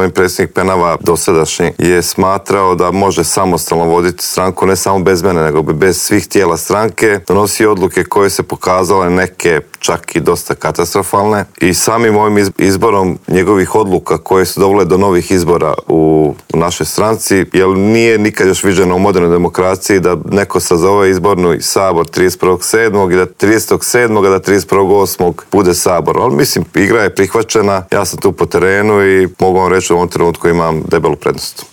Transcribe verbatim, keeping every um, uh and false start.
gospodin predsjednik Penava dosadašnji je smatrao da može samostalno voditi stranku, ne samo bez mene, nego bez svih tijela stranke, donosi odluke koje se pokazale neke čak i dosta katastrofalne i samim ovim izborom njegovih odluka koje su dovele do novih izbora u, u našoj stranci, jer nije nikad još viđeno u modernoj demokraciji da neko sazove izborni sabor trideset prvog sedmog i da tridesetog sedmog da trideset prvog osmog bude sabor. Ali mislim, igra je prihvaćena, ja sam tu po terenu i mogu vam reći u ovom trenutku imam debelu prednost.